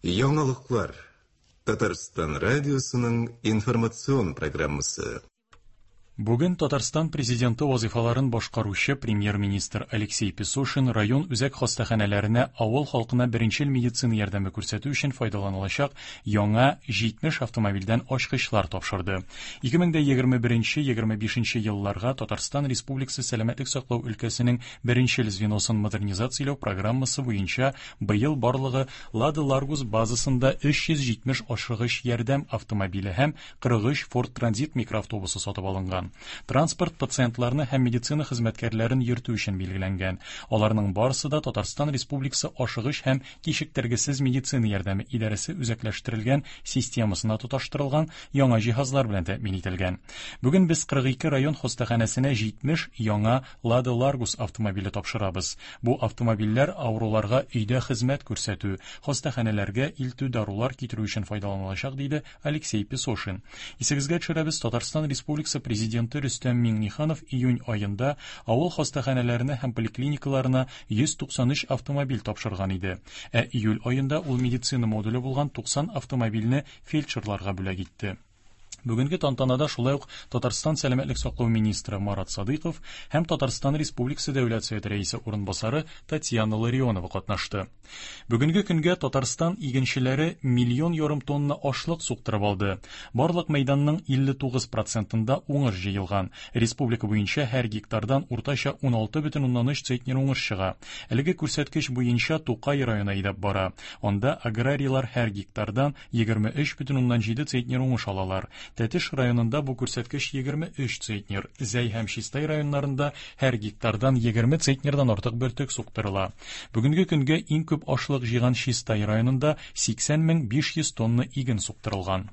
Яңалыклар. Татарстан радиосының информацион программасы. Бүген Татарстан Президенты вазыйфаларын башкаручы премьер-министр Алексей Песошин район үзәк хастаханәләренә авыл халкына беренчел медицина ярдәме күрсәтү өчен файдаланылачак яңа 70 автомобильдән ачкычлар тапшырды. 2021-25 елларга Татарстан Республикасы сәламәтлек саклау өлкәсенең беренчел звеносын модернизацияләү программасы буенча быел барлыгы Лада Ларгус базасында 370 ашыгыч ярдәм автомобиле һәм 43 Ford Transit микроавтобусы сатып алынган. Транспорт пациентларны һәм медицина хезмәткәрләрен йөртү өчен билгеләнгән. Аларның барысы да Татарстан Республикасы ашыгыч һәм кичектергесез медицина ярдәме идарәсе үзәкләштерелгән системасына тоташтырылган яңа җиһазлар белән тәэмин ителгән. Бүген без 42 район хастаханәсенә 70 яңа Лада Ларгус автомобиле тапшырабыз. Бу автомобильләр авыруларга өйдә хезмәт күрсәтү, хастаханәләргә илтү, дарулар китерү өчен файдаланылачак, диде Алексей Песошин. Исегезгә төшерәбез, Татарстан Республикасы Президенты Рөстәм Миңнеханов июнь аенда авыл хастаханәләренә һәм поликлиникаларына 193 автомобиль тапшырган иде. Ә июль аенда ул медицина модуле булган 90 автомобильне фельдшерларга бүләк итте. Бүгенге тантанада шулай ук Татарстан сәламәтлек саклау министры Марат Садыйков һәм Татарстан Республикасы Дәүләт Советы рәисе урынбасары Татьяна Ларионова катнашты. Бүгенге көнгә Татарстан игенчеләре миллион ярым тонна ашлык суктырып алды. Барлык мәйданның 59 процентында уңыш җыелган. Республика буенча һәр гектардан уртача 16,3 центнер уңыш чыга. Әлеге күрсәткеч буенча Тукай районы әйдәп бара. Анда аграрийлар һәр гектардан 23,7 центнер уңыш алалар. Тәтеш районында бу күрсәткеч 23 центнер. Зәй һәм Чистай районнарында һәр гектардан 20 центнердан артык бөртек суктырыла. Бүгенге көнгә иң күп ашлык җыйган Чистай районында 80 500 тонна иген суктырылган.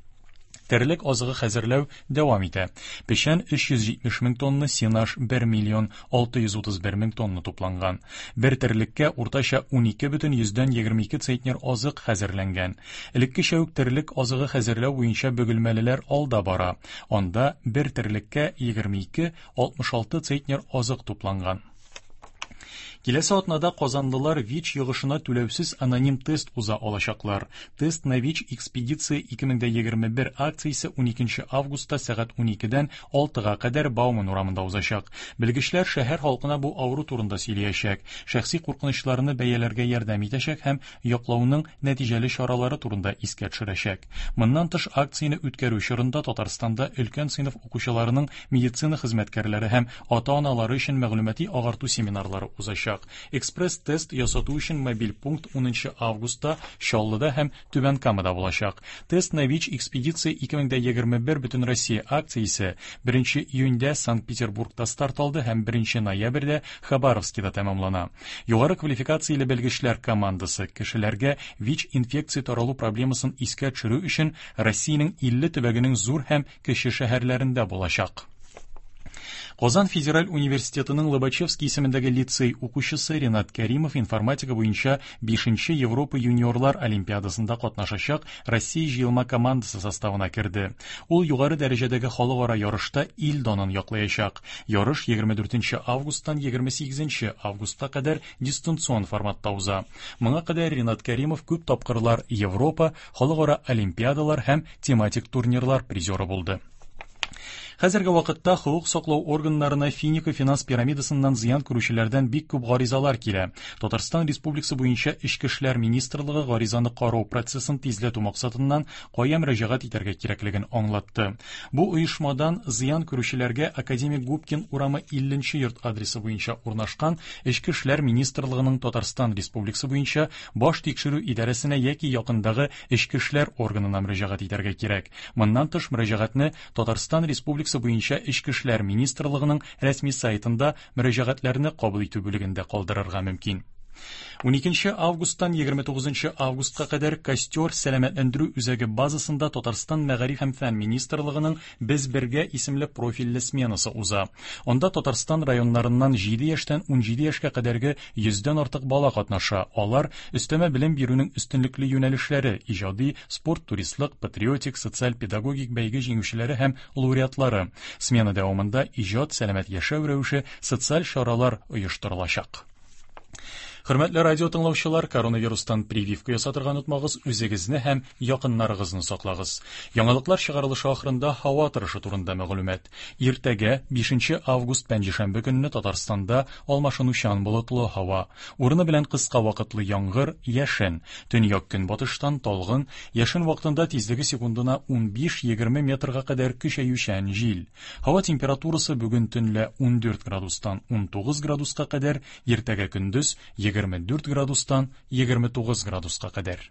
Терлек азыгы хәзерләү дәвам итә. Печән 370 мең тонна, сенаж 1 миллион 631 мең тонна тупланган. Бер терлеккә уртача 12,22 центнер азык хәзерләнгән. Элеккечә үк терлек азыгы хәзерләү буенча бөгелмәлеләр алда бара. Анда бер терлеккә 22,66 центнер азык тупланган. Киләсе атнада казанлылар ВИЧ йогышына түләүсез аноним тест уза алачаклар. Тест на ВИЧ экспедиция 2021 акциясе 12 августта сәгать 12-дән 6-га кадәр Бауман урамында узачак. Белгечләр шәһәр халкына бу авыру турында сөйләячәк, шәхси куркынычларны бәяләргә ярдәм итәчәк һәм яклауның нәтиҗәле чаралары турында искә төшерәчәк. Моннан тыш, акцияне үткәрү чорында Татарстанда өлкән сыйныф укучыларының медицина хезмәткәрләре һәм ата-аналары өчен мәгълүмати агарту семинарлары узачак. Экспресс-тест ясату өчен мобиль пункт 10 августта Чаллыда һәм Түбән Камада булачак. Тест на ВИЧ экспедиция 2021 Бөтенроссия акциясе 1 июньдә Санкт-Петербургта старт алды һәм 1 ноябрьдә Хабаровскида тәмамлана. Югары квалификацияле белгечләр командасы кешеләргә ВИЧ-инфекция таралу проблемасын искә төшерү өчен Россиянең 50 төбәгенең зур һәм кече шәһәрләрендә булачак. Казан федераль университетының Лобачевский исемендәге лицей укучысы Ренат Кәримов информатика буенча 5 Европа юниорлар олимпиадасында катнашачак Россия җыелма командасы составына керде. Ул югары дәрәҗәдәге халыкара ярышта ил данын яклаячак. Ярыш 24 августтан 28 августка кадәр дистанцион форматта уза. Моңа кадәр Ренат Кәримов күп тапкырлар Европа, халыкара олимпиадалар һәм тематик турнирлар призеры булды. Хәзерге вакытта хокук саклау органнарына Финика финанс пирамидасыннан зыян күрүчеләрдән бик күп гаризалар килә. Татарстан Республикасы буенча Эчке эшләр министрлыгы гаризаны карау процессын тизләтү максатыннан кая мөрәҗәгать итәргә кирәклеген аңлатты. Бу оешмадан зыян күрүчеләргә Академик Губкин урамы 50 нче йорт адресы буенча урнашкан Эчке эшләр министрлыгының Татарстан Республикасы буенча Баш тикшерү идарәсенә яки якындагы эчке эшләр органына мөрәҗәгать итәргә кирәк. Моннан тыш, мөрәҗәгатьне Татарстан Республикасы буенча Эчке эшләр министрлыгының рәсми сайтында мөрәҗәгатьләрне кабул итү бүлегендә калдырырга мөмкин. 12 августтан 29 августка кадәр Костер сәламәтләндерү үзәге базасында Татарстан Мәгариф һәм фән министрлыгының Без бергә исемле профильле сменасы уза. Анда Татарстан районнарыннан 7 яшьтән 17 яшькә кадәрге йөздән артык бала катнаша. Алар өстәмә белем бирүнең өстенлекле юнәлешләре, иҗади, спорт, туристлык, патриотик, социаль-педагогик бәйге җиңүчеләре һәм лауреатлары. Смена дәвамында иҗат, сәламәт яшәү рәвеше, социаль чаралар оештырылачак. Хөрмәтле радио тыңлаучылар, коронавирустан прививка ясатырга онытмагыз, үзегезне һәм якыннарыгызны саклагыз. Яңалыклар чыгарылышы ахырында һава торышы турында мәгълүмат. Иртәгә, 5 август пәнҗешәмбе көнне Татарстанда алмашынучан болытлы һава. Урыны белән кыска вакытлы яңгыр, яшен. Төньяк-көнбатыштан талгын, яшен вакытында тизлеге секундына 15-20 метрга кадәр көчәючән җил. Һава температурасы бүген төнлә 14 градустан 19 градуска кадәр, иртәгә көндез 24 градустан 29 градуска кадәр.